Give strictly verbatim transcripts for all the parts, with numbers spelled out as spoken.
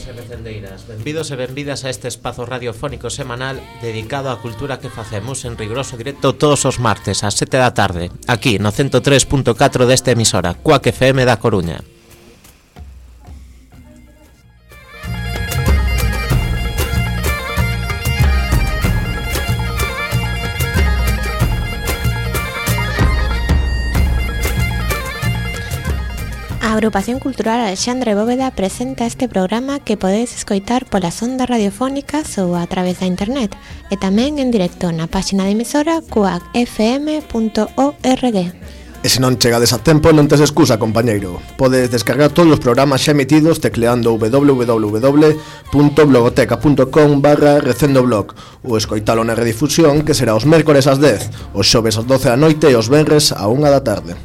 recendeiros e recendeiras, benvidos e benvidas a este espazo radiofónico semanal dedicado á cultura que facemos en riguroso directo todos os martes ás sete da tarde, aquí no ciento tres punto catro desta emisora, Cuac F M da Coruña. A Agrupación Cultural Alexandre Bóveda presenta este programa que podedes escoitar polas ondas radiofónicas ou a través da internet e tamén en directo na páxina de emisora cuac f m punto org. E se non chegades a tempo non tes excusa, compañeiro. Podes descargar todos os programas xa emitidos tecleando w w w punto blogoteca punto com barra recendoblog ou escoitalo na redifusión que será os mércores ás dez, os xoves ás doce da noite e os venres á unha da tarde.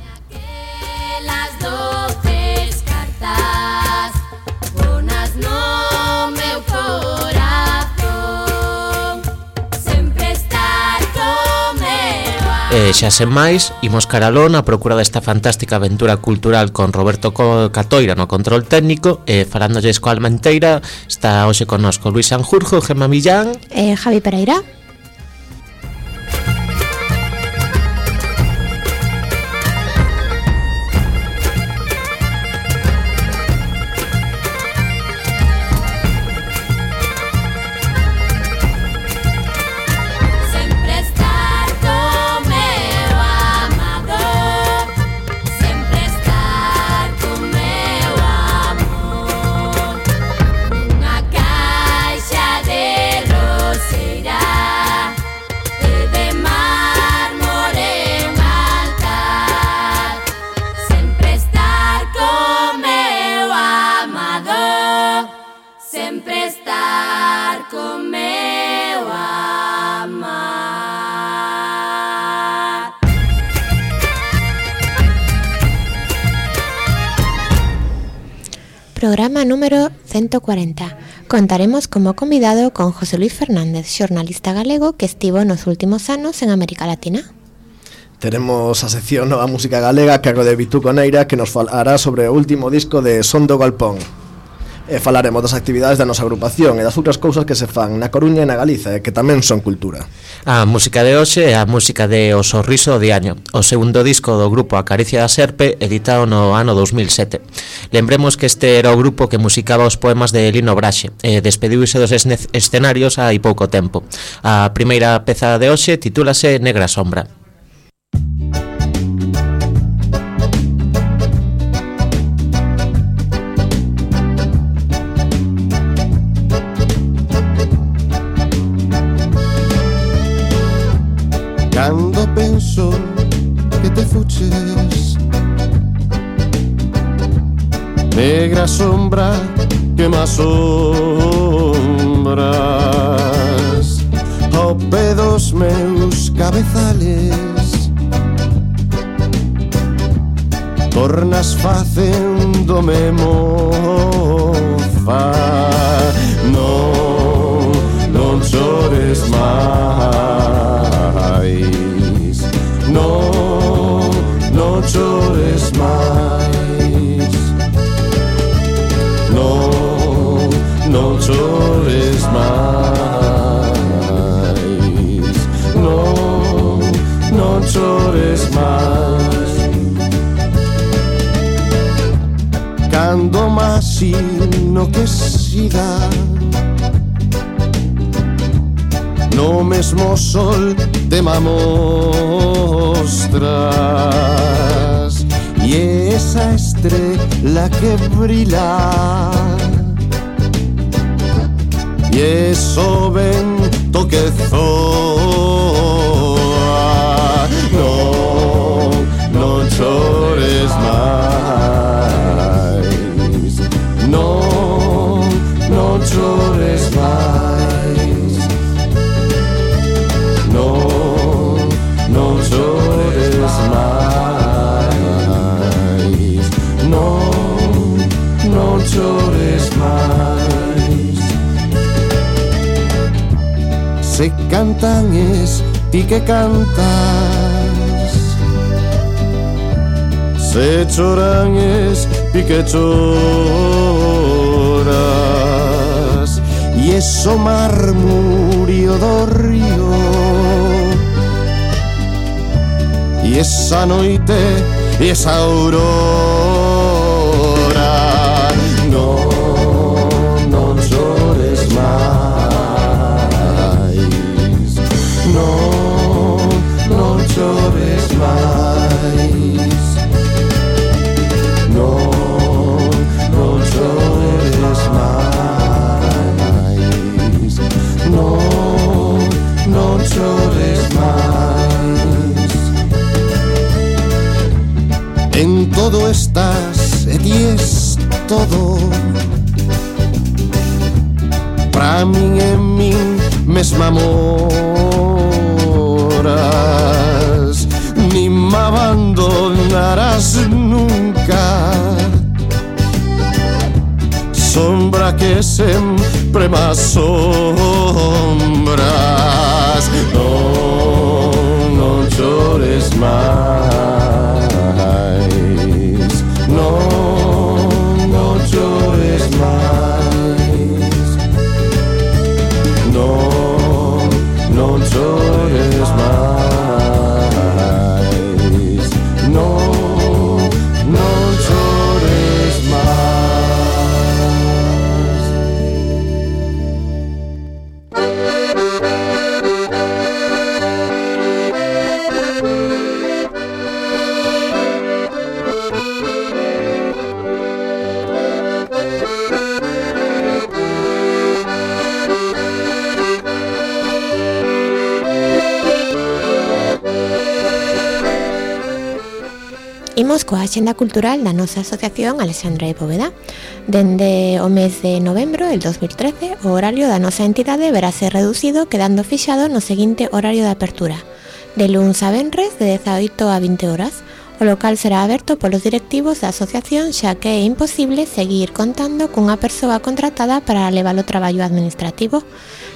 E xa sen máis, imos caralón a procura desta fantástica aventura cultural con Roberto Catoira no control técnico e falándolles coa alma inteira. Está hoxe connosco Luis Sanjurjo, Gemma Millán e Javi Pereira. Programa número ciento cuarenta. Contaremos como convidado con José Luis Fernández, xornalista galego que estivo nos últimos anos en América Latina. Teremos a sección Nova Música Galega a cargo de Bitú Coneira, que nos falará sobre o último disco de Son do Galpón. E falaremos das actividades da nosa agrupación e das outras cousas que se fan na Coruña e na Galiza e que tamén son cultura. A música de hoxe é a música de O Sorriso de Año, o segundo disco do grupo A Caricia da Serpe, editado no ano dos mil sete. Lembremos que este era o grupo que musicaba os poemas de Lino Braxe e despediuse dos escenarios hai pouco tempo. A primeira peza de hoxe titúlase Negra Sombra. Cando penso que te fuches, negra sombra que me asombras ao pé dos meus cabezales, tornas facéndome mofa. Non, non chores máis. Non, non chores máis. Non, non chores máis. Non, non chores máis. Cando imagino que siga no mesmo sol te me mostras e esa estrela que brila e eso vento que zoa. Non, non chores máis. Non, non chores máis. Non, non chores máis. Non, non chores máis. Se cantan es ti que cantas, se choran es ti que choras. o marmurio do río. E esa noite, e esa aurora, non, non chores máis, non, non chores máis, non, non chores máis, non, non chores máis. En todo estás e ties todo, pra min e min mesma moras, ni me abandonarás nunca, sombra que sempre me asombras. Non, non chores máis, non, non chores máis, non, non chores máis, non, non chores máis. Imos coa axenda cultural da nosa asociación Alexandra de Bóveda. Dende o mes de novembro del dos mil trece, o horario da nosa entidade verase reducido, quedando fixado no seguinte horario de apertura: de luns a venres, de dezaoito a vinte horas. O local será aberto polos directivos da asociación, xa que é imposible seguir contando cunha persoa contratada para levar o traballo administrativo,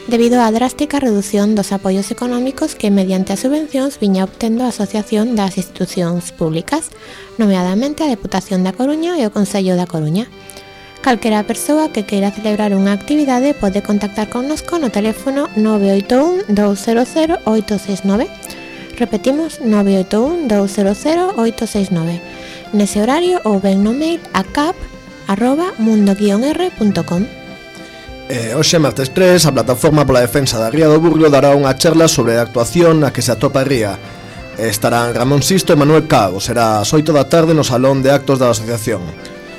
debido á drástica reducción dos apoios económicos que mediante as subvencións viña obtendo a Asociación das Institucións Públicas, nomeadamente a Deputación da Coruña e o Concello da Coruña. Calquera persoa que queira celebrar unha actividade pode contactar connosco no teléfono nove oito un, dous cero cero, oito seis nove. Repetimos, nove oito un, dous cero cero, oito seis nove. Nese horario ou ben no mail a cap arroba mundo guion r punto com. Eh, hoxe, martes tres, a Plataforma pola Defensa da Ría do Burgo dará unha charla sobre a actuación na que se atopa a ría. Estarán Ramón Sisto e Manuel Cago. Será ás oito da tarde no Salón de Actos da Asociación.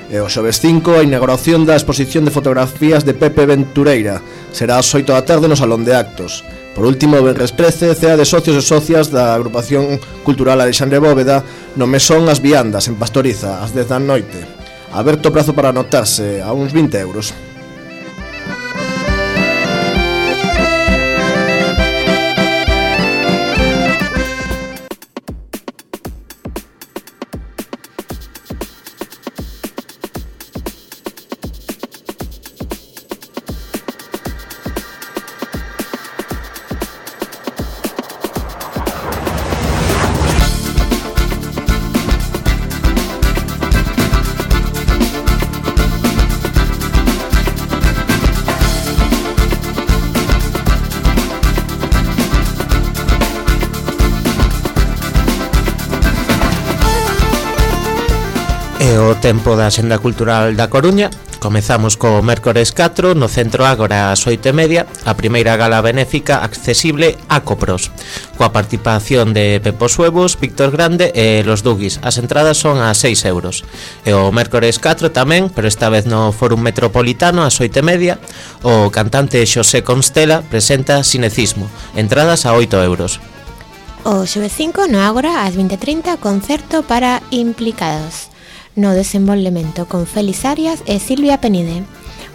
E o xoves cinco, a inauguración da exposición de fotografías de Pepe Ventureira. Será ás oito da tarde no Salón de Actos. Por último, o venres trece, cea de socios e socias da Agrupación Cultural Alexandre Bóveda no Mesón As Viandas, en Pastoriza, ás dez da noite. Aberto o prazo para anotarse, a uns vinte euros. É o tempo da Axenda Cultural da Coruña. Comezamos co mércores catro no Centro Ágora ás oito e media, a primeira gala benéfica accesible a Copros, coa participación de Pepo Suevos, Víctor Grande e Los Dugis. As entradas son a seis euros. E o mércores catro tamén, pero esta vez no Fórum Metropolitano ás oito e media, o cantante Xosé Constela presenta Cinecismo, entradas a oito euros. O xoves cinco no Ágora ás vinte e trinta, concerto para implicados no desenvolvemento con Félix Arias e Silvia Penide.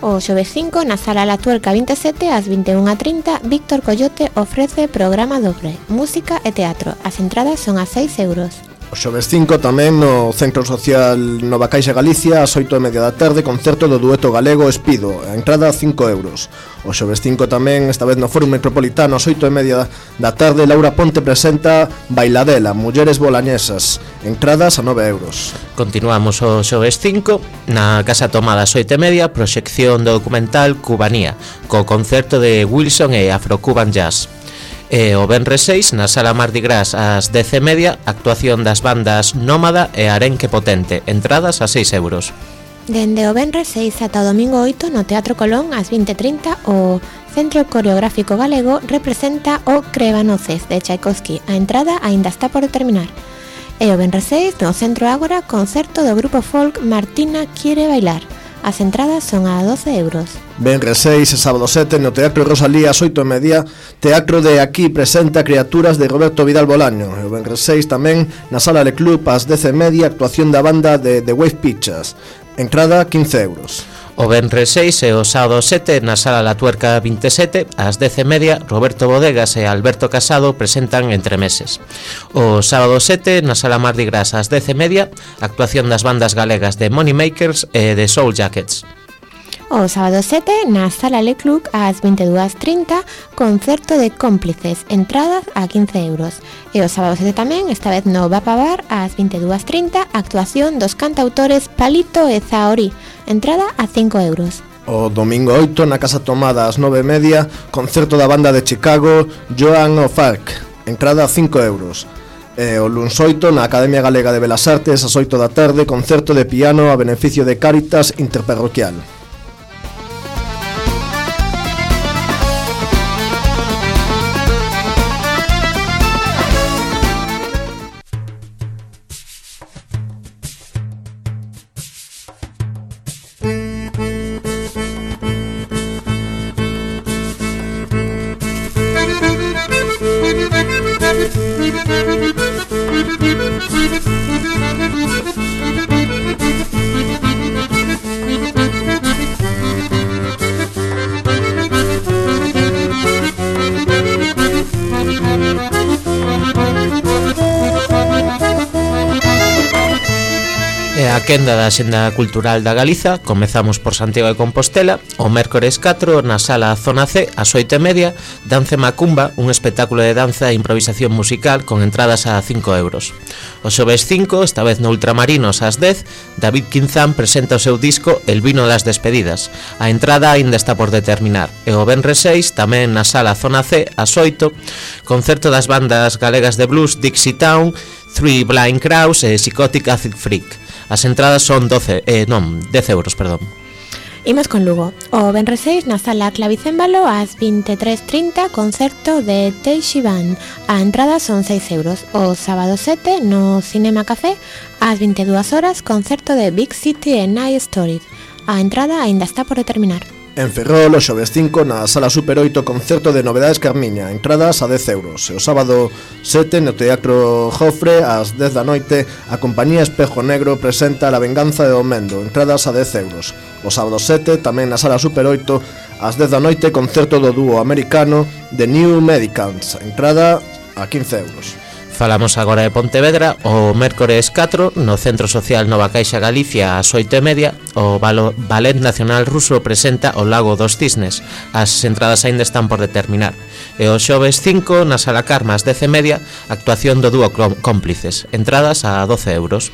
O xoves cinco na Sala La Tuerca vinte e sete ás vinte e unha e trinta, Víctor Coyote ofrece programa dobre, música e teatro. As entradas son a seis euros. O xoves cinco tamén no Centro Social Nova Caixa Galicia ás oito e media da tarde, concerto do dueto galego Espido, a entrada cinco euros. O xoves cinco tamén, esta vez no Fórum Metropolitano ás oito e media da tarde, Laura Ponte presenta Bailadela, Mulleres Bolañesas, entradas a nove euros. Continuamos o xoves cinco na Casa Tomada ás oito e media, proxección do documental Cubanía, co concerto de Wilson e Afro-Cuban Jazz. E o venres seis, na Sala Mardi Gras ás dez e media, actuación das bandas Nómada e Arenque Potente, entradas a seis euros. Dende o venres seis ata o domingo oito no Teatro Colón ás vinte e trinta, o Centro Coreográfico Galego representa o Crebanoces de Tchaikovsky. A entrada aínda está por determinar. E o venres seis no Centro Ágora, concerto do grupo folk Martina Quiere Bailar. As entradas son a doce euros. Venres seis e sábado sete no Teatro Rosalía ás oito e media, Teatro de Aquí presenta Criaturas de Roberto Vidal Bolaño. E o venres seis tamén na Sala Le Club ás dez e media, actuación da banda de The Wave Pictures. Entrada quince euros. O venres seis e o sábado sete na Sala La Tuerca vinte e sete ás dez e media, Roberto Bodegas e Alberto Casado presentan Entremeses. O sábado sete na Sala Mardi Gras ás dez e media, actuación das bandas galegas de Moneymakers e de Soul Jackets. O sábado sete na Sala Le Club ás vinte e dúas e trinta, concerto de Cómplices, entradas a quince euros. E o sábado sete tamén, esta vez no Vapabar, ás vinte e dúas e trinta, actuación dos cantautores Palito e Zahorí, entrada a cinco euros. O domingo oito na Casa Tomada ás nove e media, concerto da banda de Chicago Joan of Arc, entrada a cinco euros. E o luns oito na Academia Galega de Belas Artes ás oito da tarde, concerto de piano a beneficio de Cáritas Interparroquial. A quenda da Axenda Cultural da Galiza, comezamos por Santiago de Compostela. O mércores catro na Sala Zona C ás oito e media, Dance Macumba, un espectáculo de danza e improvisación musical con entradas a cinco euros. O xoves cinco, esta vez no Ultramarinos ás dez, David Quinzán presenta o seu disco El vino das despedidas. A entrada aínda está por determinar. E o venres seis, tamén na Sala Zona C ás oito, concerto das bandas galegas de blues Dixie Town, Three Blind Crows e Psychotic Acid Freak. As entradas son doce, eh, non, dez euros, perdón. Imos con Lugo. O venres seis na Sala Clavicémbalo ás vinte e tres e trinta, concerto de Teixi Band. A entrada son seis euros. O sábado sete no Cinema Café ás vinte e dúas horas, concerto de Big City e Night Story. A entrada aínda está por determinar. En Ferrol, o xoves cinco na Sala Super oito, concerto de Novedades Carmiña, entradas a dez euros. E o sábado sete no Teatro Jofre ás dez da noite, a compañía Espejo Negro presenta La Venganza de Domendo, entradas a dez euros. O sábado sete, tamén na Sala Super oito, ás dez da noite, concerto do dúo americano The New Medicants, entrada a quince euros. Falamos agora de Pontevedra. O mércores catro no Centro Social Nova Caixa Galicia ás oito e media, o Ballet Nacional Ruso presenta O Lago dos Cisnes. As entradas aínda están por determinar. E o xoves cinco na Sala Carma ás dez e media, actuación do dúo Cómplices, entradas a doce euros.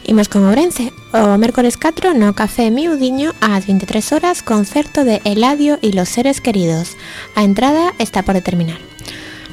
Imos con Ourense. O mércores catro no Café Miudiño ás vinte e tres horas, concerto de Eladio y los seres queridos. A entrada está por determinar.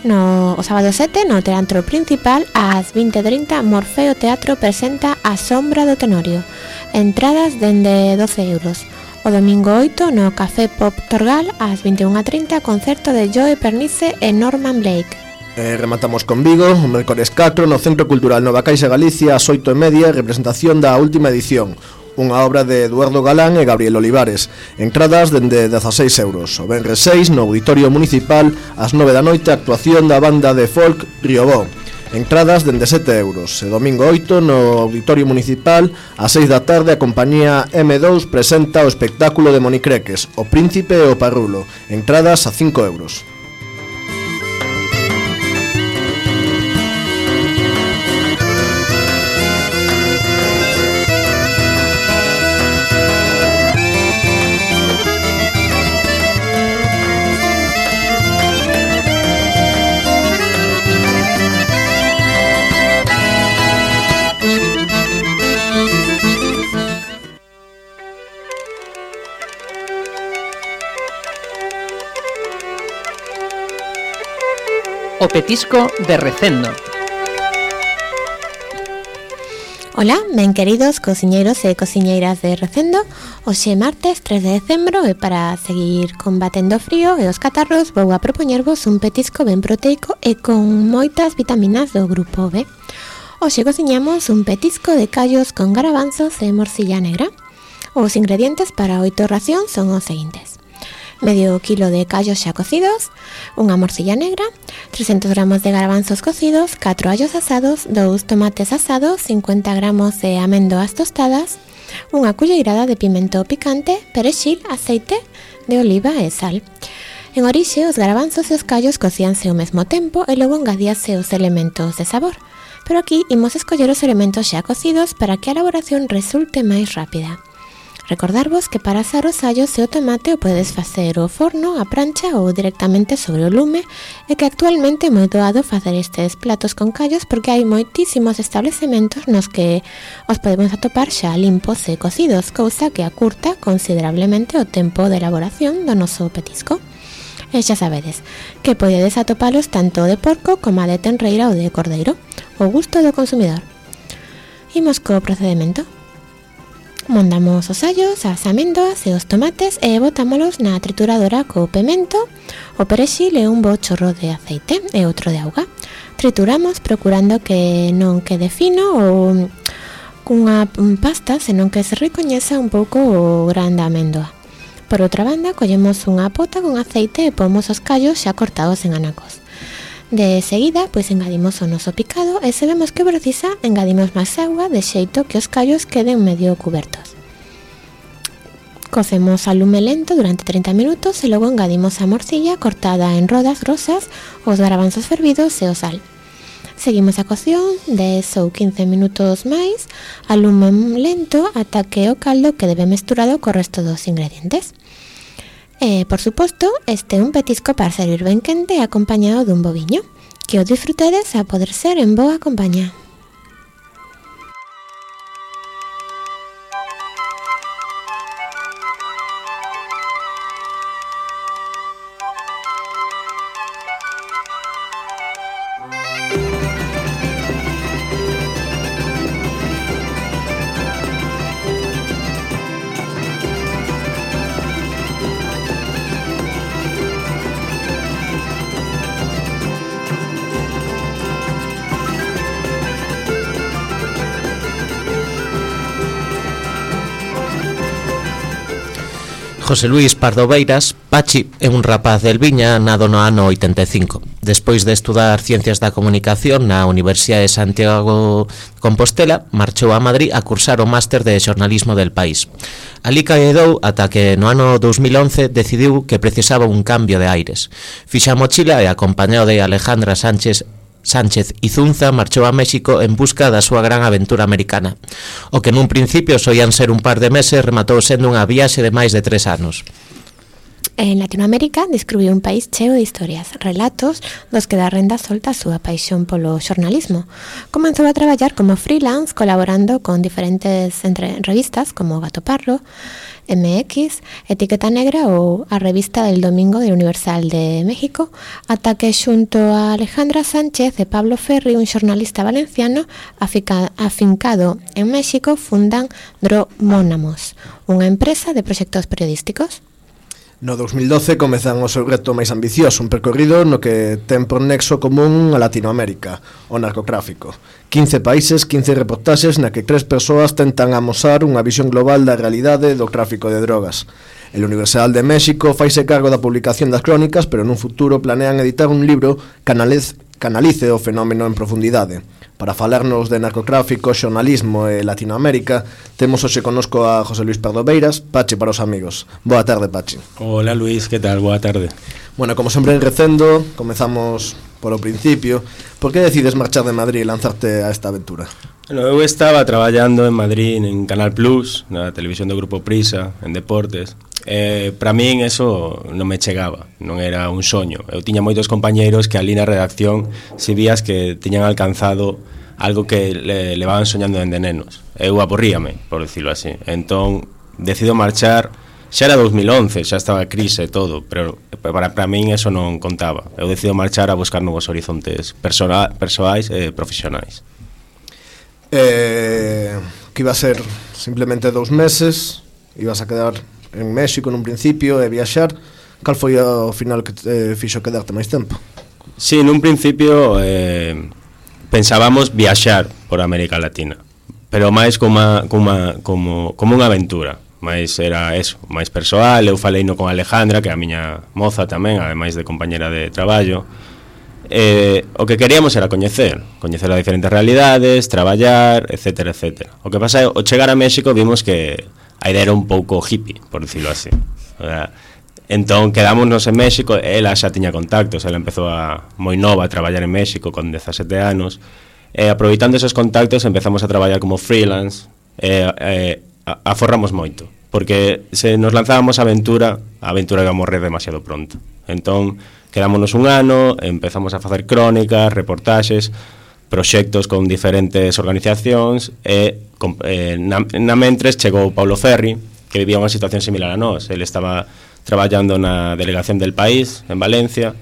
No o sábado sete no Teatro Principal ás vinte e trinta, Morfeo Teatro presenta A Sombra do Tenorio, entradas dende doce euros. O domingo oito no Café Pop Torgal ás vinte e unha e trinta, concerto de Joe Pernice e Norman Blake. E rematamos con Vigo, o mércores catro no Centro Cultural Nova Caixa Galicia ás oito e media, representación da última edición, unha obra de Eduardo Galán e Gabriel Olivares, entradas dende dezaseis euros. O venres seis no Auditorio Municipal ás nove da noite, actuación da banda de folk Riobó, entradas dende sete euros. E domingo oito no Auditorio Municipal ás seis da tarde, a compañía eme dous presenta o espectáculo de Monicreques, O Príncipe e o Parrulo, entradas a cinco euros. O petisco de Recendo. Ola, ben queridos cociñeiros e cociñeiras de Recendo. Hoxe martes tres de decembro e para seguir combatendo o frío e os catarros vou a propoñervos un petisco ben proteico e con moitas vitaminas do grupo B. Hoxe cociñamos un petisco de callos con garabanzos e morcilla negra. Os ingredientes para oito racións son os seguintes: medio kilo de callos xa cocidos, unha morcilla negra, trescentos gramos de garabanzos cocidos, catro allos asados, dous tomates asados, cincuenta gramos de amendoas tostadas, unha culleirada de pimento picante, perexil, aceite de oliva e sal. En orixe, os garabanzos e os callos cocíanse ao mesmo tempo e logo engadíase os elementos de sabor. Pero aquí imos escoller os elementos xa cocidos para que a elaboración resulte máis rápida. Recordarvos que para asar os allos e o tomate o podedes facer ao forno, a prancha ou directamente sobre o lume, e que actualmente é moi doado facer estes platos con callos porque hai moitísimos establecementos nos que os podemos atopar xa limpos e cocidos, cousa que acurta considerablemente o tempo de elaboración do noso petisco. E xa sabedes que podedes atopalos tanto de porco como de tenreira ou de cordeiro, ao gusto do consumidor. Imos co procedimento. Mondamos os allos, as amendoas e os tomates e botámolos na trituradora co pemento, o perexil e un bo chorro de aceite e outro de auga. Trituramos procurando que non quede fino ou cunha pasta, senón que se recoñeza un pouco o gran da amendoa. Por outra banda, collemos unha pota con aceite e pomos os callos xa cortados en anacos. De seguida, pois engadimos o noso picado e se vemos que precisa, engadimos máis auga de xeito que os callos queden medio cubertos. Cocemos a lume lento durante trinta minutos e logo engadimos a morcilla cortada en rodas grosas, os garabanzos fervidos e o sal. Seguimos a cocción dez ou quince minutos máis a lume lento ata que o caldo quede ben mesturado co resto dos ingredientes. E, por suposto, este é un petisco para servir ben quente acompañado dun boviño. Que o disfrutedes a poder ser en boa compañía. José Luis Pardo Beiras, Pachi, é un rapaz del Viña nado no ano oitenta e cinco. Despois de estudar Ciencias da Comunicación na Universidade de Santiago de Compostela, marchou a Madrid a cursar o máster de xornalismo del País. Ali quedou ata que no ano dos mil once decidiu que precisaba un cambio de aires. Fixa a mochila e acompañado de Alejandra Sánchez Sánchez Izunza marchou a México en busca da súa gran aventura americana. O que nun principio soían ser un par de meses rematou sendo unha viaxe de máis de tres anos. En Latinoamérica descubriu un país cheo de historias, relatos dos que dá renda solta a súa paixón polo xornalismo. Comenzou a traballar como freelance colaborando con diferentes entre revistas como Gato Pardo, M X, Etiqueta Negra ou a revista del Domingo de Universal de México, ata que xunto a Alejandra Sánchez e Pablo Ferri, un xornalista valenciano afincado en México, fundan Dro Mónamos, unha empresa de proxectos periodísticos. No dos mil doce comezan o seu reto máis ambicioso, un percorrido no que ten por nexo común a Latinoamérica, o narcotráfico. quince países, quince reportaxes na que tres persoas tentan amosar unha visión global da realidade do tráfico de drogas. El Universal de México faise cargo da publicación das crónicas, pero nun futuro planean editar un libro que canalice o fenómeno en profundidade. Para falarnos de narcotráfico, xornalismo e Latinoamérica, temos hoxe connosco a José Luis Pardo Beiras, Pachi para os amigos. Boa tarde, Pachi. Hola, Luis, que tal? Boa tarde. Bueno, como sempre en Recendo, comezamos polo principio. Por que decides marchar de Madrid e lanzarte a esta aventura? Bueno, eu estaba traballando en Madrid en Canal Plus, na televisión do Grupo Prisa, en Deportes. Eh, para min eso non me chegaba, non era un soño. Eu tiña moitos compañeiros que ali na redacción si vías que tiñan alcanzado algo que le, levaban soñando dende nenos. Eu aborríame, por decirlo así. Entón, decido marchar xa era dos mil once, xa estaba a crise e todo, pero para, para min eso non contaba. Eu decido marchar a buscar novos horizontes persona, persoais e profesionais. Eh, que iba a ser simplemente dous meses, ibas a quedar en México nun principio e viaxar. Cal foi ao final que te fixo quedarte máis tempo? Sí, nun principio eh, pensábamos viaxar por América Latina, pero máis como, como, como, como unha aventura, máis era eso, máis persoal. Eu faleino con Alejandra, que é a miña moza tamén, ademais de compañera de traballo. Eh, o que queríamos era coñecer, coñecer as diferentes realidades, traballar, etcétera, etcétera. O que pasa é, ao chegar a México vimos que a idea era un pouco hippie, por dicilo así. O sea, entón quedámonos en México, ela xa tiña contactos, ela empezou a moi nova a traballar en México con dezasete anos, e aproveitando esos contactos empezamos a traballar como freelance, e eh, aforramos moito, porque se nos lanzábamos a aventura, a aventura iba a morrer demasiado pronto. Entón quedámonos un ano, empezamos a facer crónicas, reportaxes, proxectos con diferentes organizacións, e eh, na, na mentres chegou Paulo Ferri, que vivía unha situación similar a nós. Ele estaba traballando na delegación del país, en Valencia,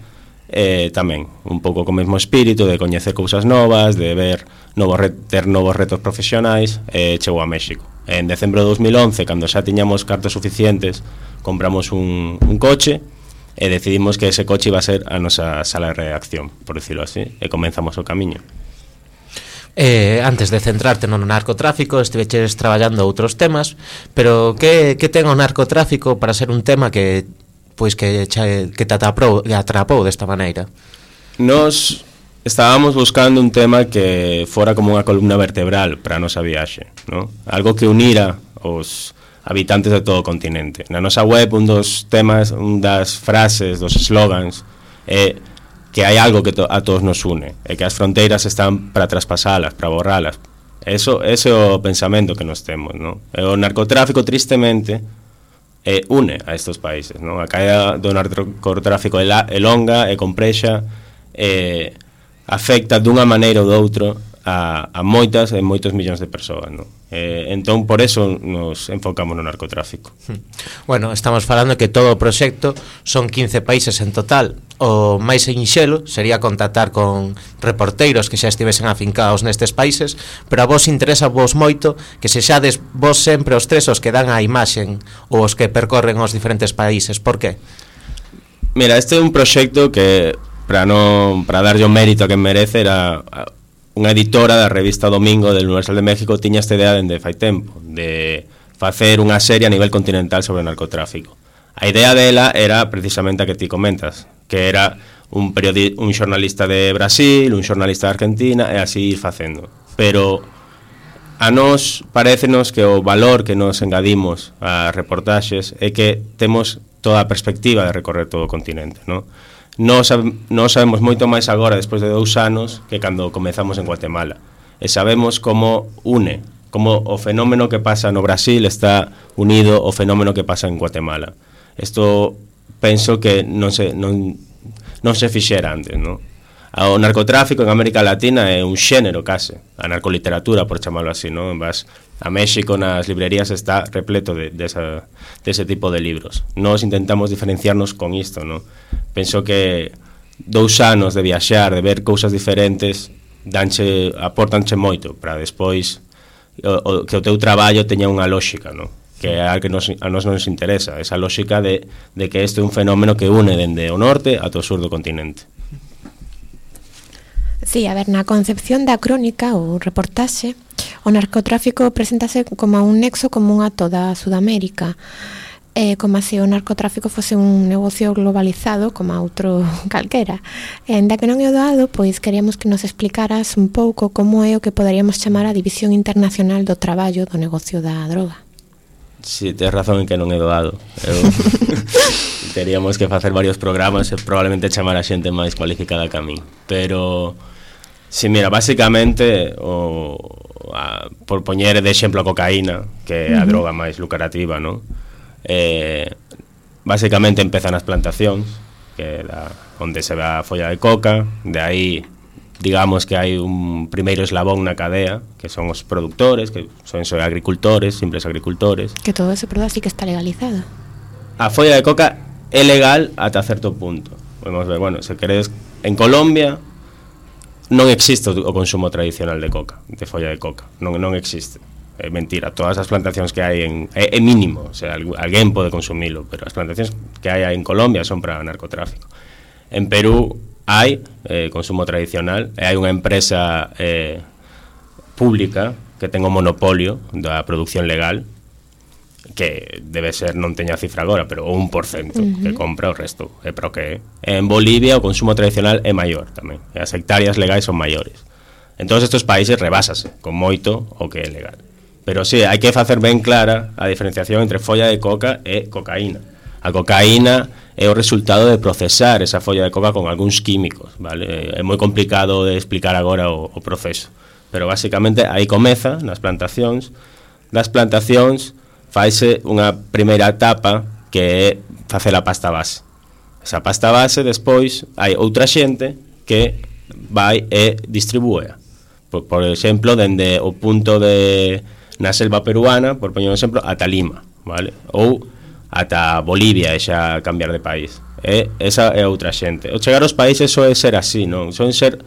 e tamén un pouco co mesmo espírito de coñecer cousas novas, de ver novos ter novos retos profesionais, e chegou a México. En decembro de dos mil once, cando xa tiñamos cartos suficientes, compramos un, un coche e decidimos que ese coche iba a ser a nosa sala de redacción, por decirlo así, e comenzamos o camiño. Eh, antes de centrarte no narcotráfico, estiveches traballando outros temas, pero que, que ten o narcotráfico para ser un tema que pois que, que te atrapou, atrapou desta maneira? Nos estábamos buscando un tema que fora como unha columna vertebral para a nosa viaxe, ¿no? Algo que unira os habitantes de todo o continente. Na nosa web, un dos temas, un das frases, dos slogans é que hai algo que to, a todos nos une, e que as fronteiras están para traspasalas, para borralas. Eso, ese é o pensamento que nos temos, ¿no? E o narcotráfico, tristemente, eh, une a estes países, ¿no? A caída do narcotráfico é, la, é longa, é complexa, eh, afecta dunha maneira ou doutro a, a moitas e moitos millóns de persoas, ¿no? Eh, entón, por eso nos enfocamos no narcotráfico. Bueno, estamos falando que todo o proxecto son quince países en total. O máis sinxelo sería contactar con reporteiros que xa estivesen afincados nestes países, pero a vos interesa vos moito que se xades vos sempre os tres os que dan a imaxen ou os que percorren os diferentes países. Por qué? Mira, este é un proxecto que, para non para darlle o mérito a quen merece, era unha editora da revista Domingo del Universal de México, tiña esta idea dende fai tempo de facer unha serie a nivel continental sobre o narcotráfico. A idea dela era precisamente a que ti comentas, que era un periodi- un xornalista de Brasil, un xornalista de Argentina, e así ir facendo. Pero a nós parécenos que o valor que nos engadimos ás reportaxes é que temos toda a perspectiva de recorrer todo o continente, non? Nós, nós sabemos moito máis agora, despois de dous anos, que cando comezamos en Guatemala. E sabemos como une, como o fenómeno que pasa no Brasil está unido ao fenómeno que pasa en Guatemala. Isto penso que non se, non, non se fixera antes, non? O narcotráfico en América Latina é un xénero case, a narcoliteratura, por chamarlo así, non? Vas a México, nas librerías está repleto de, de, esa, de ese tipo de libros. Nos intentamos diferenciarnos con isto, non? Penso que dous anos de viaxar, de ver cousas diferentes, danche, aportanche moito para despois o, o, que o teu traballo teña unha lógica, non? Que é a que nos, a nos nos interesa, esa lógica de, de que este é un fenómeno que une dende o norte ata o sur do continente. Sí, a ver, na concepción da crónica ou reportaxe, o narcotráfico preséntase como un nexo común a toda Sudamérica, eh, como se o narcotráfico fose un negocio globalizado como a outro calquera. E ainda que non é o doado, pois queríamos que nos explicaras un pouco como é o que poderíamos chamar a división internacional do traballo do negocio da droga. Si, sí, tens razón en que non é doado. Eu teríamos que facer varios programas e probablemente chamar a xente máis cualificada que a min. Pero, si, mira, basicamente, o, a, por poñer de exemplo a cocaína, que é a uh-huh. droga máis lucrativa, non? Eh, basicamente empeza nas plantacións, que é da, onde se ve a folla de coca, de aí digamos que hai un primeiro eslabón na cadea, que son os produtores, que son, son agricultores, simples agricultores. Que todo ese produto sí que está legalizado. a folla de coca é legal ata certo punto. Podemos ver, bueno, se queredes, en Colombia non existe o consumo tradicional de coca, de folla de coca, non, non existe. É mentira, todas as plantacións que hai en, é, é mínimo, o sea, alguén pode consumilo, pero as plantacións que hai en Colombia son para narcotráfico. En Perú hai eh, consumo tradicional, e hai unha empresa eh, pública que ten o monopolio da produción legal, que debe ser, non teño a cifra agora, pero o un por cento uh-huh. que compra, o resto é para o que é. En Bolivia o consumo tradicional é maior tamén, e as hectáreas legais son maiores. En todos estes países rebásase con moito o que é legal. Pero sí, hai que facer ben clara a diferenciación entre folla de coca e cocaína. A cocaína é o resultado de procesar esa folla de coca con algúns químicos, vale? É moi complicado de explicar agora o, o proceso, pero basicamente aí comeza nas plantacións. Das plantacións faise unha primeira etapa que é facer a pasta base. Esa pasta base, despois, hai outra xente que vai e distribúea. Por, por exemplo, dende o punto de na selva peruana, por poñer un exemplo, ata Lima, vale? Ou ata Bolivia, e xa cambiar de país. E esa é outra xente. O chegar aos países soe ser así, non? Soen ser...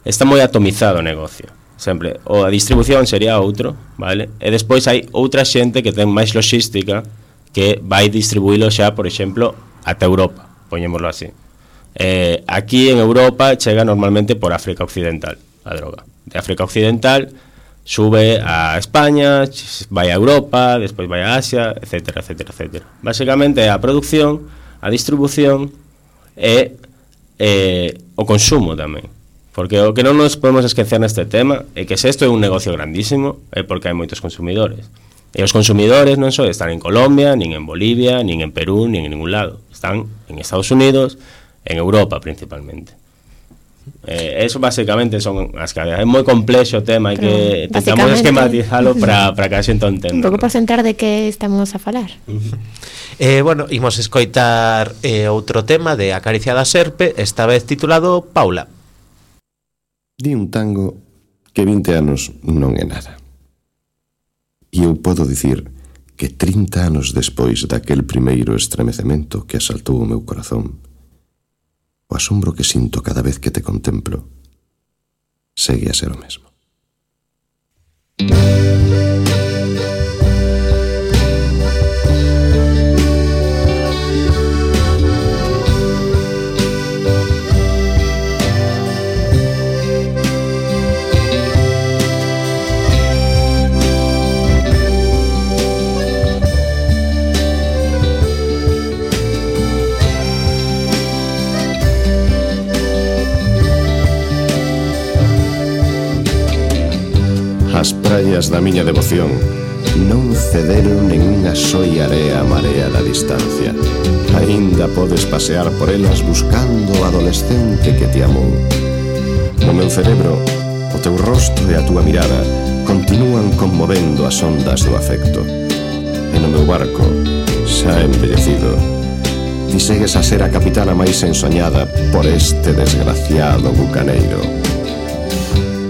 Está moi atomizado o negocio. Sempre, ou a distribución sería outro, vale? E despois hai outra xente que ten máis logística que vai distribuílo xa, por exemplo, ata Europa, poñémoslo así. Eh, aquí en Europa chega normalmente por África Occidental a droga. De África Occidental sube a España, vai a Europa, despois vai a Asia, etcétera, etcétera, etcétera. Básicamente é a produción, a distribución e eh, o consumo tamén. Porque o que non nos podemos esquecer neste tema é que se isto é un negocio grandísimo é porque hai moitos consumidores. E os consumidores non só están en Colombia, nin en Bolivia, nin en Perú, nin en ningún lado. Están en Estados Unidos, en Europa principalmente. Eh, eso basicamente son as cadeas. É moi complexo o tema, hai que tentamos esquematizalo para para que a xente entenda. Un pouco para sentar de que estamos a falar. eh, bueno, imos escoitar eh, outro tema de Acaricia da Serpe, esta vez titulado Paula. Di un tango que vinte anos non é nada. E eu podo dicir que trinta anos despois daquel primeiro estremecemento que asaltou o meu corazón, o asombro que sinto cada vez que te contemplo segue a ser o mesmo. As praias da miña devoción non cederon nen unha soia area a marea da distancia. Aínda podes pasear por elas buscando o adolescente que te amou. No meu cerebro, o teu rostro e a túa mirada continúan conmovendo as ondas do afecto. E no meu barco, xa envellecido, ti segues a ser a capitana máis ensoñada por este desgraciado bucaneiro.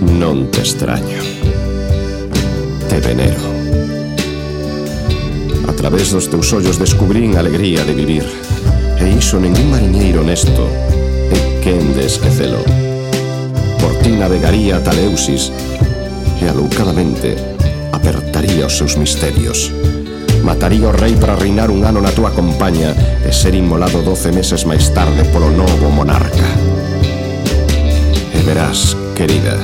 Non te extraño. Te venero. A través dos teus ollos descubrín a alegría de vivir, e iso ningún mariñeiro honesto é quen de esquecelo. Por ti navegaría ata Eleusis e aloucadamente apertaría os seus misterios. Mataría o rei para reinar un ano na túa compaña e ser inmolado doce meses máis tarde polo novo monarca. E verás, querida,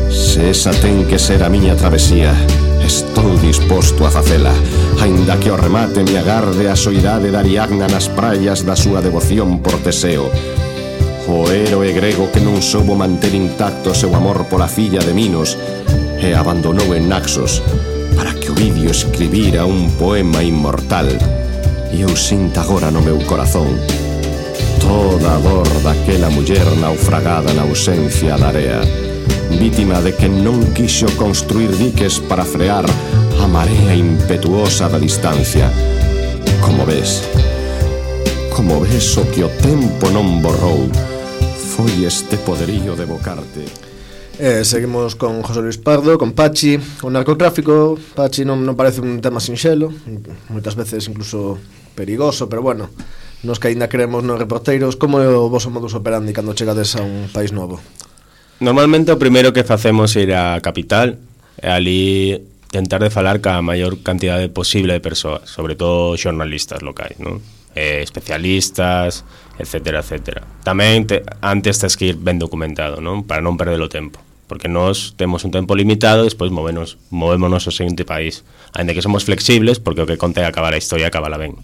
se esa ten que ser a miña travesía, estou disposto a facela, aínda que ao remate me agarde a soidade da Ariadna nas praias da súa devoción por Teseo, o héroe grego que non soubo manter intacto seu amor pola filla de Minos e abandonou en Naxos para que Ovidio escribira un poema inmortal. E eu sinto agora no meu corazón toda a dor daquela muller naufragada na ausencia da area, vítima de que non quixo construir diques para frear a marea impetuosa da distancia. Como ves, como ves o que o tempo non borrou foi este poderío de evocarte. Eh, seguimos con José Luis Pardo, con Pachi. O narcotráfico, Pachi, non, non parece un tema sinxelo. Moitas veces incluso perigoso, pero bueno, nos que ainda creemos nos reporteiros, como é o voso modus operandi cando chegades a un país novo? Normalmente o primeiro que facemos é ir á capital e ali tentar de falar ca maior cantidade posible de persoas, sobre todo xornalistas locais, non? Eh, especialistas, etcétera, etcétera. Tamén te, antes tes que ir ben documentado, non? Para non perder o tempo, porque nós temos un tempo limitado, despois movémonos, movémonos ao seguinte país, ainda que somos flexibles, porque o que conta é acabar a historia, acabala ben.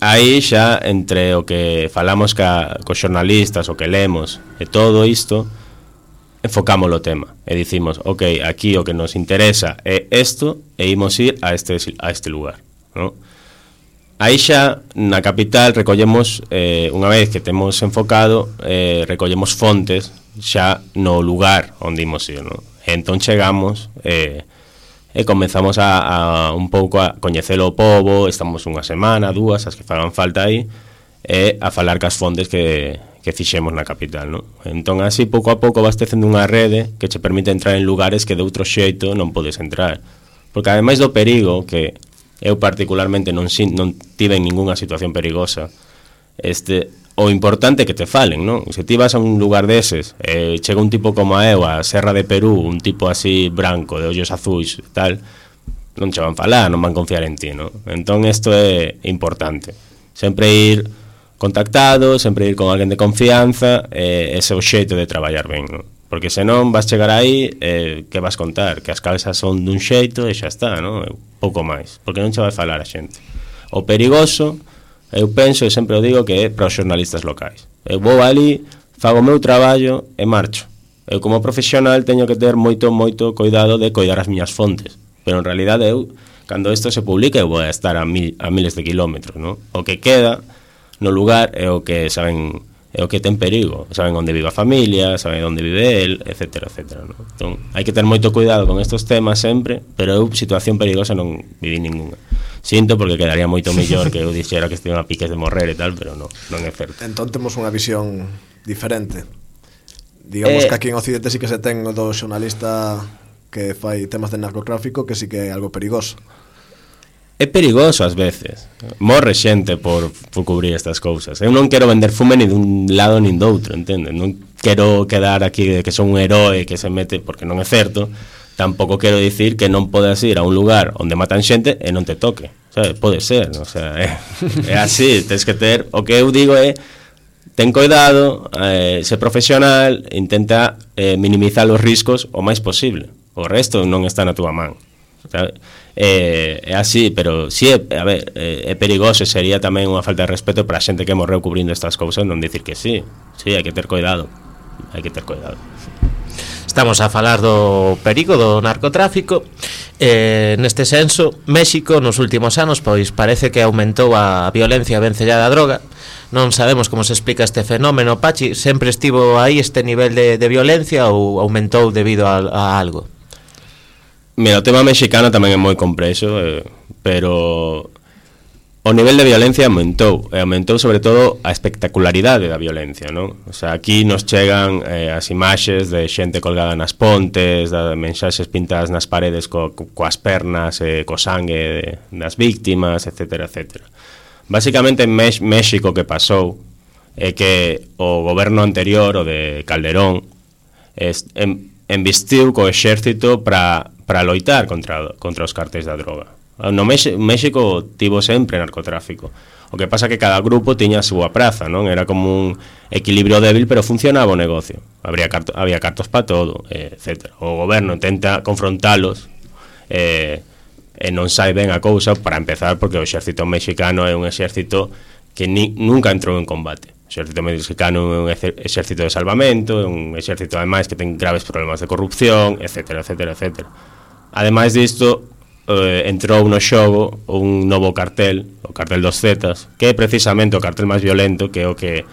Aí xa, entre o que falamos ca, cos xornalistas, o que lemos, e todo isto, enfocamos o tema, e dicimos, ok, aquí o que nos interesa é isto, e imos ir a este, a este lugar, non? Aí xa, na capital, recollemos, eh, unha vez que temos enfocado, eh, recollemos fontes xa no lugar onde imos ir, non? E entón chegamos eh, e comenzamos a, a un pouco a coñecer o pobo, estamos unha semana, dúas, as que fagan falta aí, e a falar cas fontes que, que fixemos na capital, non? Entón así, pouco a pouco vas tecendo unha rede que che permite entrar en lugares que de outro xeito non podes entrar. Porque ademais do perigo, que eu particularmente non, non tive ningunha situación perigosa, este, o importante é que te falen, non? Se ti vas a un lugar deses, eh, chega un tipo como a eu, a Serra de Perú, un tipo así branco, de ollos azuis e tal, non che van falar, non van confiar en ti, non? Entón isto é importante, sempre ir contactado, sempre ir con alguén de confianza, eh, ese é o xeito de traballar ben, non? Porque senón vas chegar aí, eh, que vas contar? Que as calzas son dun xeito e xa está, non? Pouco máis, porque non che vai falar a xente. O perigoso, eu penso e sempre o digo, que é para os xornalistas locais. Eu vou ali, fago o meu traballo e marcho. Eu como profesional teño que ter moito, moito cuidado de coidar as miñas fontes, pero en realidade eu, cando isto se publica, eu vou a estar a, mil, a miles de kilómetros, non? O que queda no lugar é o que saben, é o que ten perigo, saben onde vive a familia, saben onde vive el, etcétera, etcétera, non? Entón, hai que ter moito cuidado con estos temas sempre, pero eu situación perigosa non viví ninguna. Sinto porque quedaría moito mellor que eu dixera que estiven a piques de morrer e tal, pero non, non é certo. Entón temos unha visión diferente. Digamos eh, que aquí en Occidente sí que se ten o do xornalista que fai temas de narcotráfico, que sí que é algo perigoso. É perigoso ás veces. Morre xente por, por cubrir estas cousas. Eu non quero vender fume ni dun lado nin doutro, entende? Non quero quedar aquí de que son un heroe que se mete, porque non é certo. Tampouco quero dicir que non podes ir a un lugar onde matan xente e non te toque, sabe? Pode ser, o sea, é, é así, tens que ter, o que eu digo é, ten cuidado, eh, ser profesional, intenta eh, minimizar os riscos o máis posible, o resto non está na túa man, sabe? É, é así, pero si é, a ver, é, é perigoso, sería tamén unha falta de respeto para a xente que morreu cubrindo estas cousas non dicir que sí, sí, hai que ter cuidado, hai que ter cuidado. Estamos a falar do perigo do narcotráfico. Eh, neste senso, México nos últimos anos pois parece que aumentou a violencia vencellada á droga. Non sabemos como se explica este fenómeno, Pachi. Sempre estivo aí este nivel de, de violencia ou aumentou debido a, a algo? Mira, o tema mexicano tamén é moi complexo, eh, pero o nivel de violencia aumentou, e aumentou sobre todo a espectacularidade da violencia, non? O sea, aquí nos chegan eh, as imaxes de xente colgada nas pontes, de mensaxes pintadas nas paredes co, coas pernas, eh, co sangue de, das víctimas, etcétera, etcétera. Básicamente en Mex- México que pasou é que o goberno anterior, o de Calderón, es, en, envistiu co exército para para loitar contra, contra os cartéis da droga. No México tivo sempre narcotráfico. O que pasa que cada grupo tiña a súa praza, non? Era como un equilibrio débil, pero funcionaba o negocio. Habría carto, había cartos para todo, eh, etcétera. O goberno tenta confrontalos eh, e non sai ben a cousa, para empezar, porque o exército mexicano é un exército que ni, nunca entrou en combate. O exército mexicano é un exército de salvamento, é un exército ademais que ten graves problemas de corrupción, etcétera, etcétera, etcétera. Ademais disto, eh, entrou no xogo un novo cartel, o cartel dos Zetas, que é precisamente o cartel máis violento, que é o que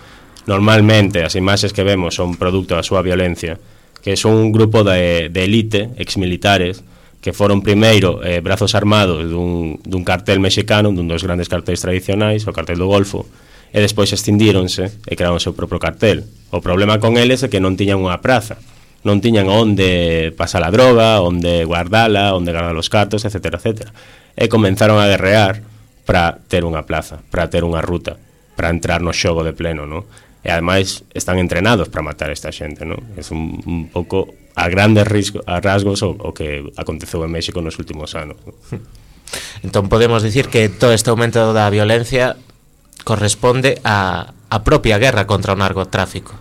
normalmente as imaxes que vemos son produto da súa violencia, que son un grupo de, de elite, exmilitares, que foron primeiro eh, brazos armados dun, dun cartel mexicano, dun dos grandes cartéis tradicionais, o cartel do Golfo, e despois extindíronse e crearon o seu propio cartel. O problema con eles é que non tiñan unha praza, non tiñan onde pasar a droga, onde guardala, onde guardar os cartos, etcétera, etcétera. E comenzaron a guerrear para ter unha plaza, para ter unha ruta, para entrar no xogo de pleno, non? E ademais están entrenados para matar esta xente, non? É un, un pouco a grandes risco, a rasgos o, o que aconteceu en México nos últimos anos. Entón podemos dicir que todo este aumento da violencia corresponde a, a propia guerra contra o narcotráfico.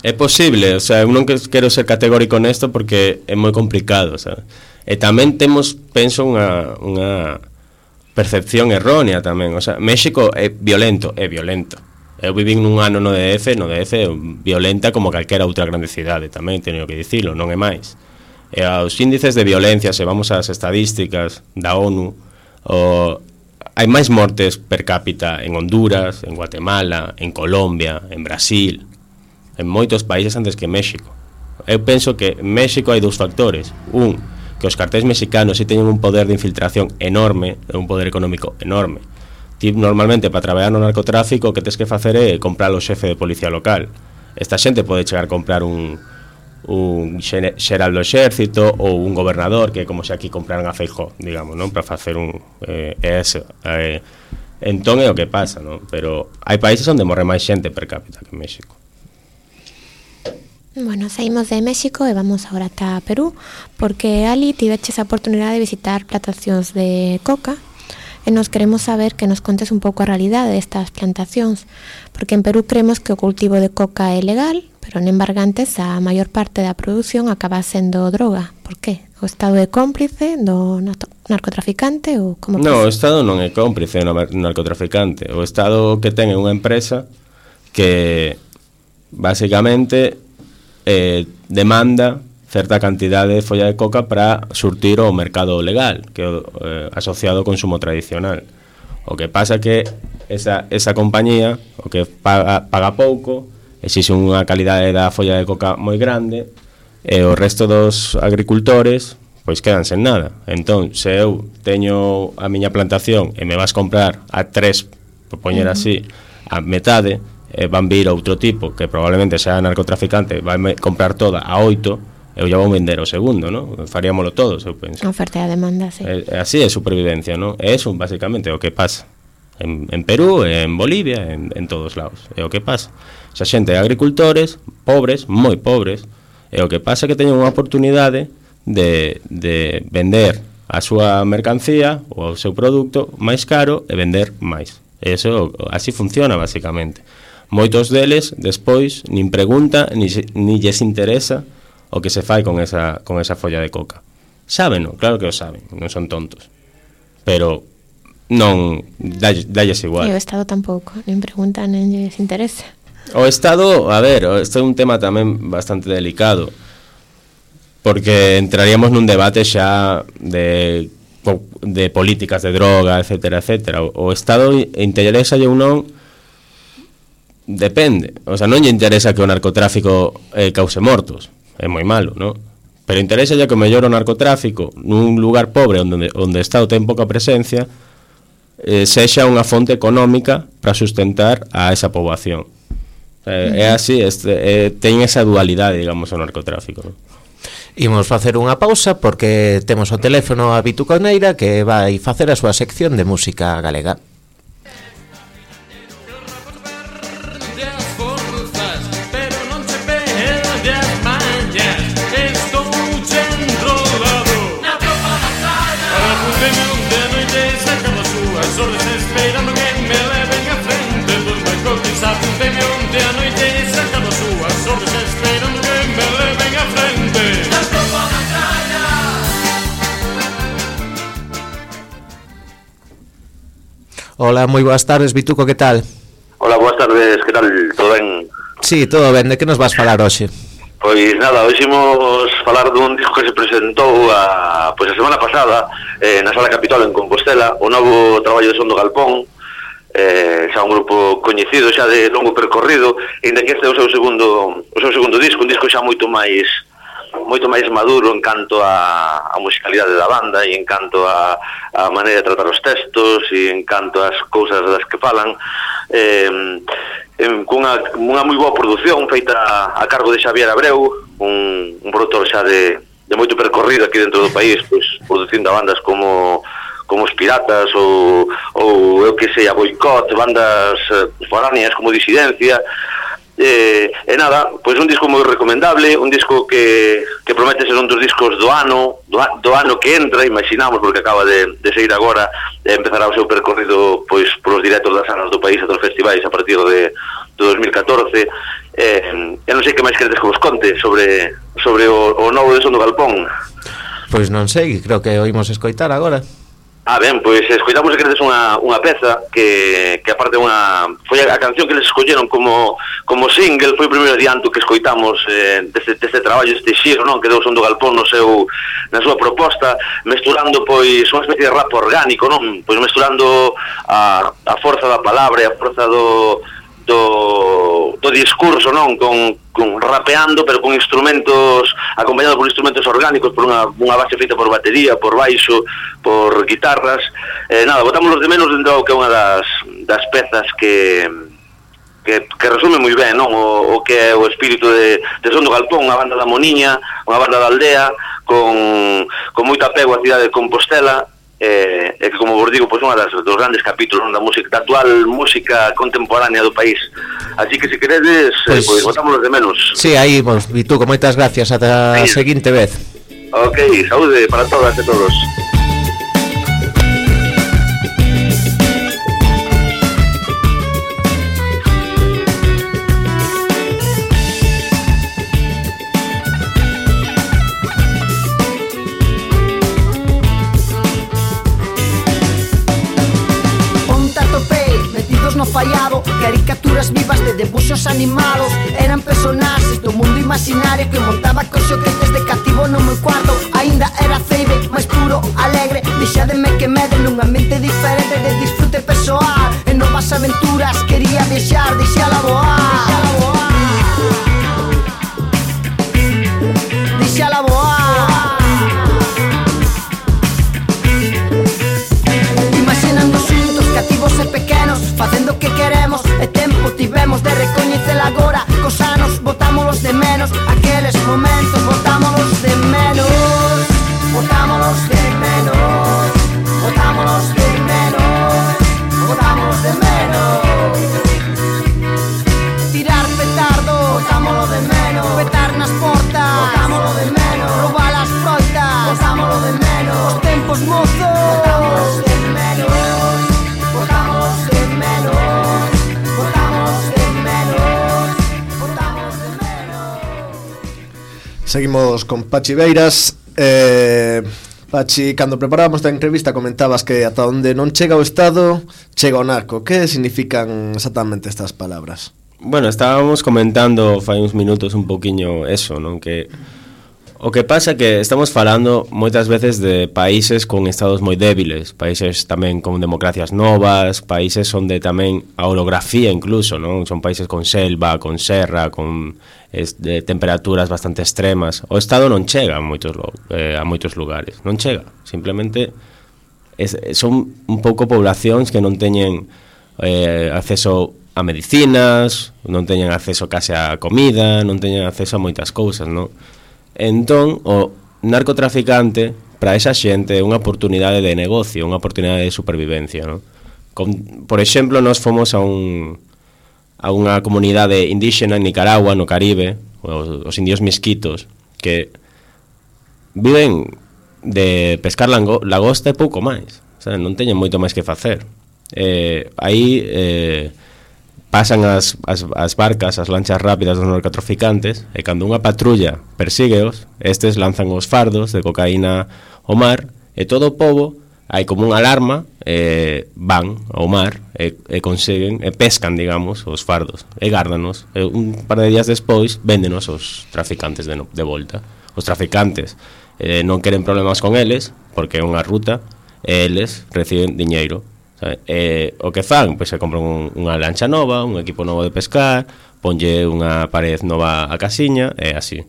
É posible, o sea, eu non quero ser categórico nesto porque é moi complicado, o sea. E tamén temos, penso, unha, unha percepción errónea tamén, o sea, México é violento, é violento. Eu vivín nun ano no D F, no D F violenta como calquera outra grande cidade, tamén teño que dicilo, non é máis. E aos índices de violencia, se vamos ás estadísticas da ONU, o, hai máis mortes per cápita en Honduras, en Guatemala, en Colombia, en Brasil, en moitos países antes que México. Eu penso que en México hai dous factores. Un, que os cartéis mexicanos si teñen un poder de infiltración enorme, un poder económico enorme. Ti normalmente para traballar no narcotráfico o que tes que facer é comprar o xefe de policía local. Esta xente pode chegar a comprar un un xeral do exército ou un gobernador, que é como se aquí compraran a Feijóo, digamos, non, para facer un eh, eso. Eh, entón é o que pasa, non? Pero hai países onde morre máis xente per cápita que en México. Bueno, saímos de México e vamos agora ata Perú, porque ali tiveches a oportunidade de visitar plantacións de coca e nos queremos saber que nos contes un pouco a realidade destas plantacións, porque en Perú creemos que o cultivo de coca é legal, pero en embargantes a maior parte da produción acaba sendo droga. Por qué? O Estado é cómplice do narcotraficante ou como pasa? No, o Estado non é cómplice do narcotraficante. O Estado que ten é unha empresa que basicamente eh, demanda certa cantidade de folla de coca para surtir o mercado legal, que é eh, asociado ao consumo tradicional. O que pasa que esa, esa compañía, o que paga, paga pouco, exixe unha calidade da folla de coca moi grande, e o resto dos agricultores pois quedan sen nada. Entón, se eu teño a miña plantación e me vas comprar a tres, por poñer uh-huh. así, a metade, e van vir outro tipo que probablemente sea narcotraficante, vai comprar toda a oito, eu ya vou vender o segundo, ¿no? Faríamolo todos, eu penso. Oferta e demanda, sí. E, así é supervivencia, ¿no? É eso, basicamente, o que pasa. En, en Perú, en Bolivia, en, en todos lados. É o que pasa. Xa xente de agricultores, pobres, moi pobres, e o que pasa é que teñen unha oportunidade de, de vender a súa mercancía ou o seu produto máis caro e vender máis. Eso, así funciona, basicamente. Moitos deles, despois, nin pregunta, ni, ni lles interesa o que se fai con esa, con esa folla de coca. Sábeno, claro que o saben, non son tontos. Pero non, dalles, dalles igual. E o Estado tampouco, nin pregunta, nin lles interesa. O Estado, a ver, isto é un tema tamén bastante delicado, porque entraríamos nun debate xa de, de políticas de droga, etcétera, etcétera. O, o Estado interesa ou non, depende. O sea, non lle interesa que o narcotráfico eh, cause mortos, é moi malo, non? Pero interesa ya que o mellor o narcotráfico nun lugar pobre onde, onde o Estado ten pouca presencia eh, sexa unha fonte económica para sustentar a esa poboación. Eh, uh-huh. É así, este, eh, ten esa dualidade, digamos, o narcotráfico, non? Imos facer unha pausa porque temos o teléfono a Vitu Coneira que vai facer a súa sección de música galega. Hola, moi boas tardes, Vituco, que tal? Hola, boas tardes, que tal? Todo ben? Sí, todo ben, de que nos vas falar hoxe? Pois nada, hoxe imos falar dun disco que se presentou a, pois a semana pasada eh, na Sala Capitol en Compostela, o novo traballo de Son do Galpón, eh, xa un grupo coñecido, xa de longo percorrido, e que este é o seu segundo o seu segundo disco, un disco xa moito máis moito máis maduro en canto a, a musicalidade da banda e en canto a, a maneira de tratar os textos e en canto as cousas das que falan, eh, en, cunha, unha moi boa produción feita a, a cargo de Xavier Abreu, un, un produtor xa de, de moito percorrido aquí dentro do país, pois, producindo a bandas como como os Piratas ou, ou eu que sei, a Boicot, bandas eh, foráneas como Disidencia. Eh, e nada, pois un disco moi recomendable, un disco que, que promete ser un dos discos do ano do, do ano que entra, imaginamos, porque acaba de, de seguir agora, e empezará o seu percorrido pois polos directos das salas do país e dos festivais a partir de, de dos mil catorce. eh, e non sei que máis queredes que vos conte sobre, sobre o, o novo de Son do Galpón. Pois non sei, creo que oímos escoitar agora. Ah, ben, pois escoitamos que credes unha, unha peza que, que aparte unha foi a, a canción que les escolleron como, como single, foi o primeiro adianto que escoitamos eh, deste, deste traballo, deste xiro, non? Que deu Son do Galpón no seu, na súa proposta, mesturando pois unha especie de rap orgánico, non? Pois mesturando a, a forza da palabra e a forza do do, do discurso, non? Con, con rapeando, pero con instrumentos, acompañado por instrumentos orgánicos, por unha, unha base feita por batería, por baixo, por guitarras. Eh, nada, botámoslos de menos dentro que é unha das, das pezas que, que, que resume moi ben, non? O, o que é o espírito de, de Son do Galpón, unha banda da Moniña, unha banda da aldea, con, con moito apego á cidade de Compostela, e eh, que, como vos digo, pois unha das, dos grandes capítulos da música, da actual música contemporánea do país. Así que, se queredes, pois, eh, pois botámoslos de menos. Sí, aí, vos, Vituco, moitas gracias, ata a seguinte vez. Ok, saúde para todas e todos. Fallado, caricaturas vivas de debuxos animados. Eran personaxes do mundo imaginario que montaba cos xoguetes de cativo no meu cuarto. Ainda era ceibe, máis puro, alegre. Deixademe que mede nun ambiente diferente de disfrute persoal. En novas aventuras quería viaxar, deixala voar. Deixala voar. Imaginando xuntos, cativos e pequenos, facendo o que queremos, e tempo tivemos de recoñecer agora. Cos anos botámolos de menos, aqueles momentos botámolos de menos. Botámolos de menos, botámolos de menos, botámolos de menos. Tirar petardo, botámolo de menos. Petar nas portas, botámolo de menos. Roubar as froitas, botámolo de menos. Os tempos mozos, botámolos de menos. Botámolos de menos, botámolos de menos, botámolos de menos. Seguimos con Pachi Beiras. eh, Pachi, cando preparábamos esta entrevista comentabas que ata onde non chega o Estado chega o narco. Que significan exactamente estas palabras? Bueno, estábamos comentando fai uns minutos un poquinho eso, non? Que o que pasa é que estamos falando moitas veces de países con estados moi débiles, países tamén con democracias novas, países onde tamén a orografía incluso, non? Son países con selva, con serra, con es, de temperaturas bastante extremas. O Estado non chega a moitos, eh, a moitos lugares, non chega. Simplemente es, son un pouco poblacións que non teñen eh, acceso a medicinas, non teñen acceso case a comida, non teñen acceso a moitas cousas, non? Entón, o narcotraficante para esa xente é unha oportunidade de negocio, unha oportunidade de supervivencia, non? Con, por exemplo, nós fomos a un a unha comunidade indígena en Nicaragua, no Caribe, os, os indios misquitos, que viven de pescar lango, lagosta e pouco máis, o sea, non teñen moito máis que facer. Eh, aí eh, pasan as, as, as barcas, as lanchas rápidas dos narcotraficantes, e cando unha patrulla persígueos, estes lanzan os fardos de cocaína ao mar, e todo o pobo, hai como unha alarma, e van ao mar, e, e conseguen, e pescan, digamos, os fardos, e gárdanos, e un par de días despois, véndenos os traficantes de, no, de volta. Os traficantes eh, non queren problemas con eles, porque é unha ruta, e eles reciben diñeiro. Eh, o que fan, pois se compran un, unha lancha nova, un equipo novo de pescar, ponlle unha pared nova a casiña, e así,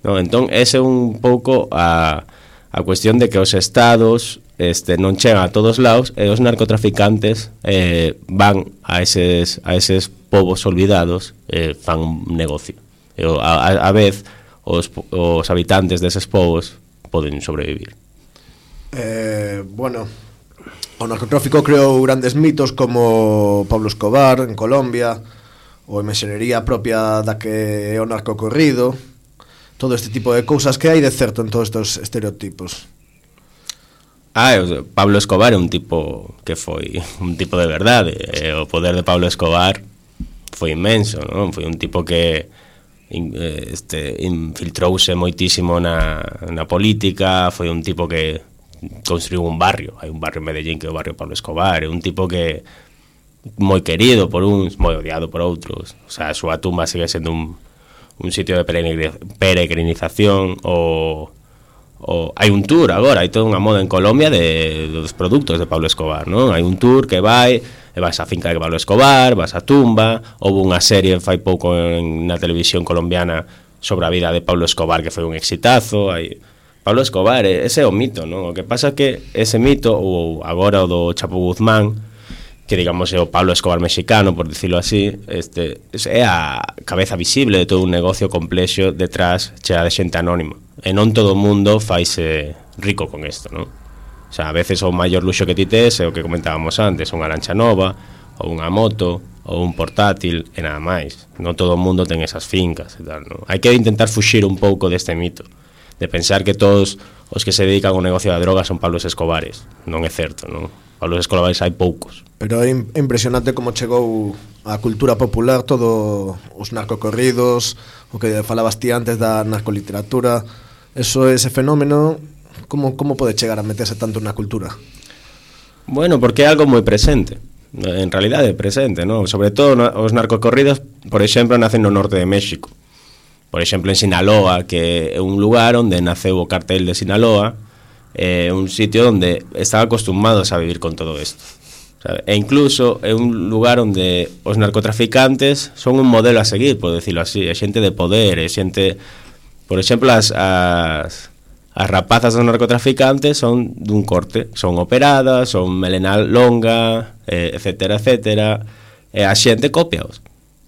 no? Entón, ese é un pouco a, a cuestión de que os estados este, non chegan a todos lados, e os narcotraficantes eh, van a eses, a eses povos olvidados, e eh, fan un negocio, e a, a, a vez os, os habitantes deses povos poden sobrevivir. Eh, bueno, O narcotráfico creou grandes mitos como Pablo Escobar en Colombia, ou a imaxenería propia da que é o narcocorrido, todo este tipo de cousas. Que hai de certo en todos estes estereotipos? Ah, Pablo Escobar é un tipo que foi un tipo de verdade. O poder de Pablo Escobar foi inmenso, non? Foi un tipo que este, infiltrouse moitísimo na, na política, foi un tipo que construiu un barrio, hai un barrio en Medellín que é o barrio Pablo Escobar, é un tipo que moi querido por uns, moi odiado por outros. O sea, a súa tumba sigue sendo un, un sitio de peregrinización. O, o hai un tour agora, hai toda unha moda en Colombia de, dos produtos de Pablo Escobar, non? Hai un tour que vai, e vas á finca de Pablo Escobar, vas á tumba. Houve unha serie fai pouco en, na televisión colombiana sobre a vida de Pablo Escobar, que foi un exitazo. Hai Pablo Escobar, ese é o mito, non? O que pasa é que ese mito, ou agora o do Chapo Guzmán, que digamos é o Pablo Escobar mexicano, por dicilo así, este, é a cabeza visible de todo un negocio complexo detrás chea de xente anónima. E non todo o mundo faise rico con isto, non? O sea, a veces o maior luxo que ti tes é o que comentábamos antes, unha lancha nova, ou unha moto, ou un portátil, e nada máis. Non todo o mundo ten esas fincas e tal, non? Hai que intentar fuxir un pouco deste mito, de pensar que todos os que se dedican ao negocio da droga son Pablos Escobares. Non é certo, non? Pablos Escobares hai poucos. Pero é impresionante como chegou a cultura popular, todo os narcocorridos, o que falabas ti antes da narcoliteratura. Eso, ese fenómeno, como, como pode chegar a meterse tanto na cultura? Bueno, porque é algo moi presente. En realidade é presente, non? Sobre todo os narcocorridos, por exemplo, nacen no norte de México. Por exemplo, en Sinaloa, que é un lugar onde naceu o cartel de Sinaloa, é un sitio onde están acostumados a vivir con todo isto, sabe? E incluso é un lugar onde os narcotraficantes son un modelo a seguir, por decirlo así. É xente de poder, é xente... Por exemplo, as, as, as rapazas dos narcotraficantes son dun corte, son operadas, son melena longa, eh, etcétera, etcétera, e a xente copiaos.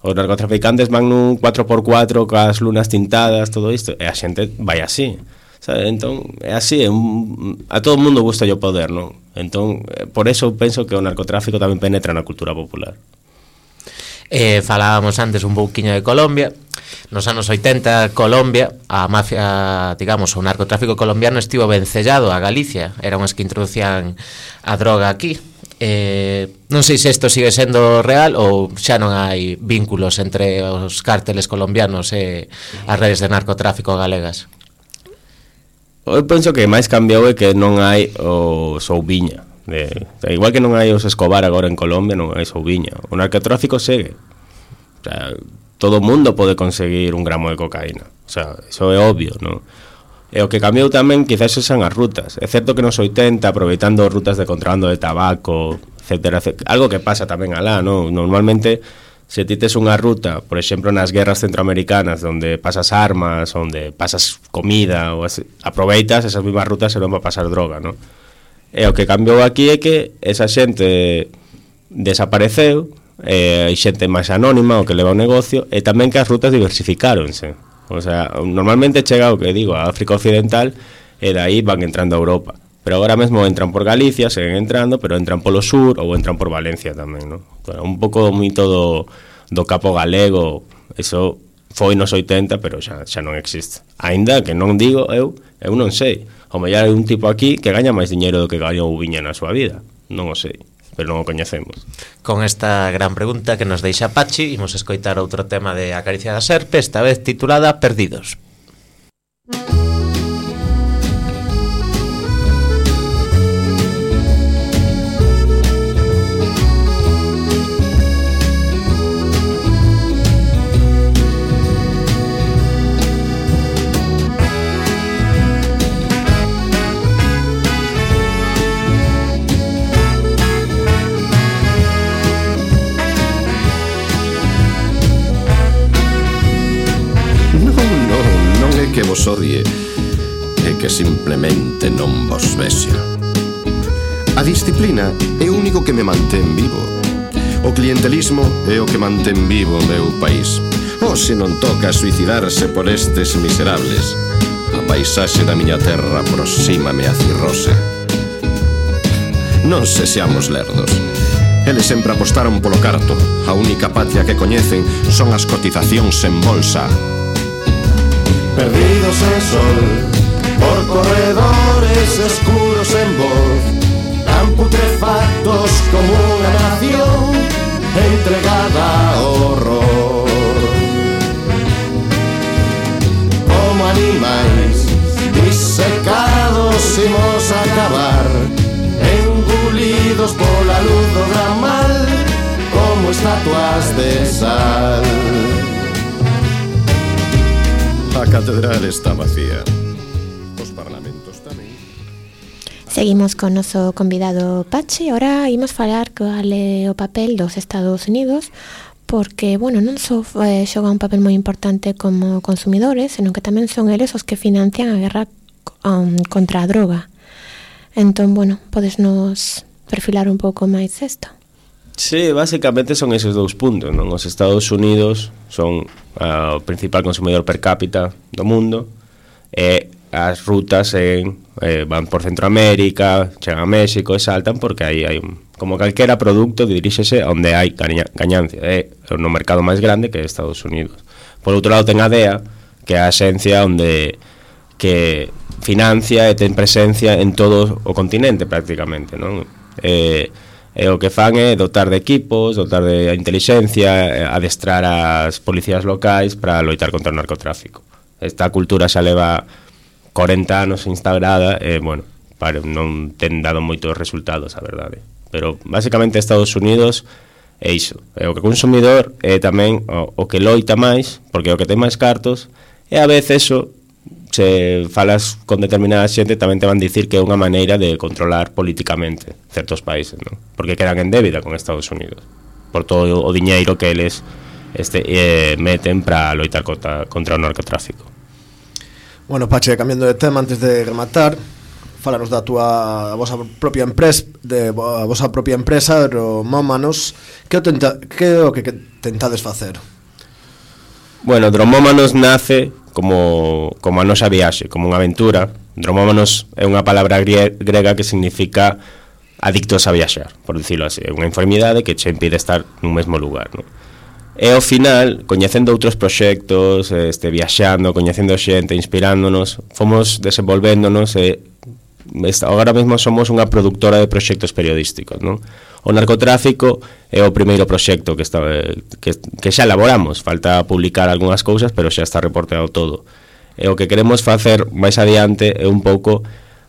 Os narcotraficantes van nun cuatro por cuatro cas lunas tintadas, todo isto, e a xente vai así, sabe? Entón, é así, é un, a todo mundo gusta o poder, non? Entón, por eso penso que o narcotráfico tamén penetra na cultura popular. Eh, falábamos antes un pouquiño de Colombia. Nos anos oitenta, Colombia, a mafia, digamos, o narcotráfico colombiano estivo vencellado a Galicia, eran os que introducían a droga aquí. Eh, non sei se isto sigue sendo real ou xa non hai vínculos entre os cárteles colombianos e as redes de narcotráfico galegas. Eu penso que máis cambiou é que non hai o Souviña de, igual que non hai os Escobar agora en Colombia, non hai Souviña. O narcotráfico segue, o sea, todo o mundo pode conseguir un gramo de cocaína, o sea, iso é obvio, non? E o que cambiou tamén quizás son as rutas. É certo que nos oitenta, aproveitando rutas de contrabando de tabaco, etcétera, etcétera, algo que pasa tamén alá, non? Normalmente, se ti tes unha ruta, por exemplo, nas guerras centroamericanas, onde pasas armas, onde pasas comida, ou así, aproveitas esas mismas rutas e non va a pasar droga, non? E o que cambiou aquí é que esa xente desapareceu, e hai xente máis anónima o que leva o negocio, e tamén que as rutas diversificáronse. O sea, normalmente chega o que digo a África Occidental e dai van entrando a Europa, pero agora mesmo entran por Galicia, seguen entrando, pero entran polo sur ou entran por Valencia tamén, non? Un pouco moi todo do capo galego, eso foi nos oitenta, pero xa, xa non existe. Aínda que non digo, eu, eu non sei, o mellor hai un tipo aquí que gaña máis diñeiro do que gañou Viña na súa vida, non o sei, pero non o coñecemos. Con esta gran pregunta que nos deixa Pachi, imos escoitar outro tema de Acaricia da Serpe, esta vez titulada Perdidos. Que vos odie e que simplemente non vos vexa. A disciplina é o único que me mantén vivo. O clientelismo é o que mantén vivo o meu país. O se non toca suicidarse por estes miserables, a paisaxe da miña terra aproxímame a cirrose. non se seamos lerdos. Eles sempre apostaron polo carto. A única patria que coñecen son as cotizacións en bolsa. Perdidos en sol, por corredores escuros en voz, tan putrefactos como unha nación entregada ao horror. Como animais disecados imos a acabar, engulidos pola luz do gran mal, como estatuas de sal. A catedral está vacía. Os parlamentos tamén. Seguimos con noso convidado Pachi. Ahora imos falar cual é o papel dos Estados Unidos, porque, bueno, non só eh, xoga un papel moi importante como consumidores, senón que tamén son eles os que financian a guerra um, contra a droga. Entón, bueno, podes nos perfilar un pouco máis isto? Sí, básicamente son esos dous puntos, non? Os Estados Unidos son uh, o principal consumidor per cápita do mundo, e as rutas en, eh, van por Centroamérica, chegan a México e saltan porque aí hai un, como calquera produto diríxese onde hai gaña, gañancia, é no mercado máis grande que é Estados Unidos. Por outro lado ten a D E A, que é a axencia onde que financia e ten presencia en todo o continente prácticamente, non? Eh, e o que fan é dotar de equipos, dotar de intelixencia, adestrar as policías locais para loitar contra o narcotráfico. Esta cultura xa leva corenta anos instaurada e, bueno, para, non ten dado moitos resultados, a verdade. Pero, basicamente, Estados Unidos é iso. É o que consumidor é tamén o, o que loita máis, porque é o que ten máis cartos, e a veces eso, se falas con determinada xente, tamén te van dicir que é unha maneira de controlar políticamente certos países, non? Porque quedan en débida con Estados Unidos por todo o diñeiro que eles este, eh, meten para loitar contra, contra o narcotráfico. Bueno, Pache, cambiando de tema, antes de rematar, fálanos da túa a vosa propia empresa, de a vosa propia empresa, Dromómanos. Que o tenta, que o que, que tentades facer? Bueno, Dromómanos nace como, como a nosa viaxe, como unha aventura. Dromómanos é unha palabra grega que significa adictos a viaxar, por dicilo así. É unha enfermidade que che impide estar nun mesmo lugar, non? E ao final, coñecendo outros proxectos, este, viaxando, coñecendo xente, inspirándonos, fomos desenvolvéndonos e agora mesmo somos unha productora de proxectos periodísticos, non? O narcotráfico é o primeiro proxecto que, está, que, que xa elaboramos, falta publicar algunhas cousas, pero xa está reporteado todo. E o que queremos facer máis adiante é un pouco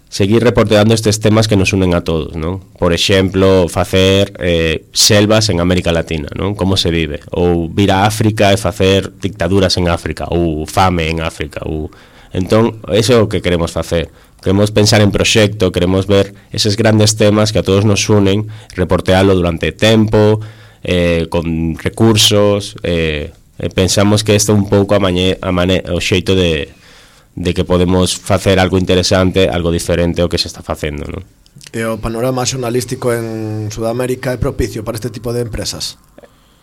seguir reporteando estes temas que nos unen a todos, non? Por exemplo, facer eh, selvas en América Latina, non? Como se vive, ou vir a África e facer dictaduras en África, ou fame en África, ou... Entón, eso é o que queremos facer. Queremos pensar en proxecto, queremos ver eses grandes temas que a todos nos unen, reportealo durante tempo, eh, con recursos, eh, eh, pensamos que isto é un pouco a mañe, a mane, o xeito de, de que podemos facer algo interesante, algo diferente ao que se está facendo, non? E o panorama xornalístico en Sudamérica é propicio para este tipo de empresas?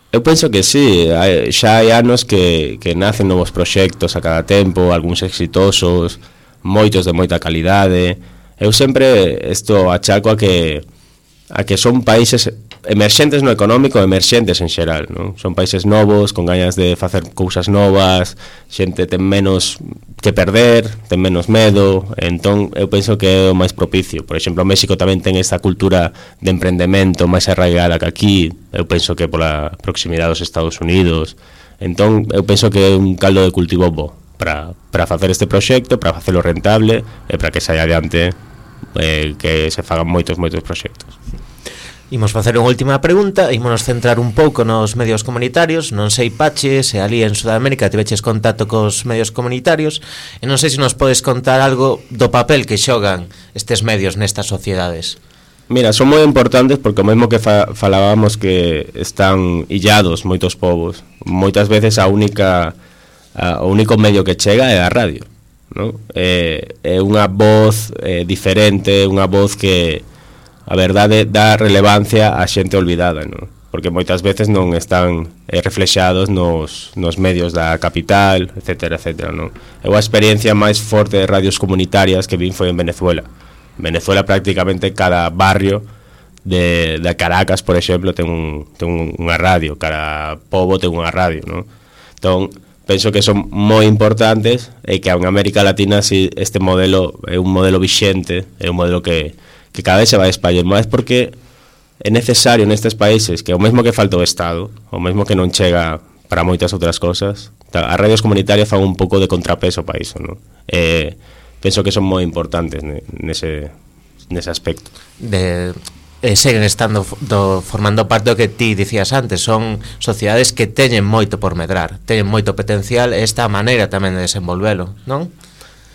Eu penso que sí, hai, xa hai anos que, que nacen novos proxectos a cada tempo, algúns exitosos, moitos de moita calidade. Eu sempre isto achaco a que a que son países emerxentes no económico, emerxentes en xeral, non? Son países novos, con gañas de facer cousas novas, xente ten menos que perder, ten menos medo, entón eu penso que é o máis propicio. Por exemplo, México tamén ten esta cultura de emprendemento máis arraigada que aquí, eu penso que pola proximidade dos Estados Unidos, entón eu penso que é un caldo de cultivo bo para, para facer este proxecto, para facelo rentable e para que saia adiante, eh, que se fagan moitos, moitos proxectos. Imos facer unha última pregunta, ímonos centrar un pouco nos medios comunitarios. Non sei, Pache, se ali en Sudamérica tiveches contacto cos medios comunitarios, e non sei se nos podes contar algo do papel que xogan estes medios nestas sociedades. Mira, son moi importantes porque o mesmo que fa, falábamos que están illados moitos povos. Moitas veces a única a, o único medio que chega é a radio, non? É, é unha voz é, diferente, unha voz que a verdade dá relevancia a xente olvidada, non? Porque moitas veces non están eh, reflexados nos, nos medios da capital, etcétera, etcétera, non? Eu a experiencia máis forte de radios comunitarias que vin foi en Venezuela. En Venezuela prácticamente cada barrio de, de Caracas, por exemplo, ten, un, ten unha radio, cara Pobo ten unha radio, non? Entón, penso que son moi importantes e que en América Latina si este modelo é un modelo vixente, é un modelo que, que cada vez se vai espaller máis, porque é necesario nestes países que o mesmo que falta o Estado, o mesmo que non chega para moitas outras cosas, as radios comunitarias fan un pouco de contrapeso para iso, non? Eh, penso que son moi importantes nese, nese aspecto. De, eh, seguen estando do, formando parte do que ti dicías antes, son sociedades que teñen moito por medrar, teñen moito potencial, e esta maneira tamén de desenvolvelo, non?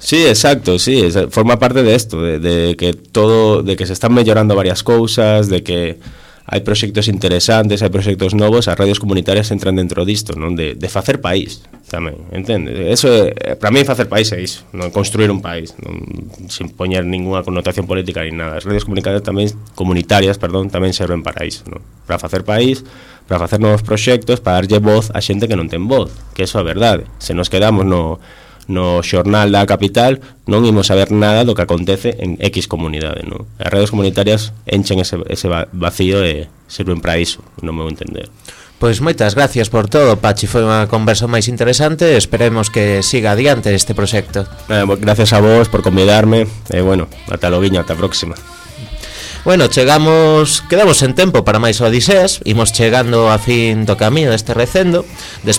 Sí, exacto, sí, forma parte de esto, de, de que todo, de que se están mellorando varias cousas, de que hai proxectos interesantes, hai proxectos novos, as radios comunitarias entran dentro disto, non? De, de facer país tamén, entende? Eso é, para mí facer país é iso, non? Construir un país, non? Sin poñer ninguna connotación política ni nada. As radios comunitarias tamén, comunitarias, perdón, tamén serven para iso, non? Para facer país, para facer novos proxectos, para darlle voz a xente que non ten voz, que eso é a verdade. Se nos quedamos no no xornal da capital, non imos saber nada do que acontece en X comunidade, non? As radios comunitarias enchen ese, ese vacío e sirven para iso, non me vou entender. Pois moitas gracias por todo, Pachi, foi unha conversa máis interesante, esperemos que siga adiante este proxecto. Eh, gracias a vos por convidarme, e eh, bueno, ata loguiño, ata a próxima. Bueno, chegamos, quedamos en tempo para máis odiseas, imos chegando a fin do camiño deste recendo, despedimos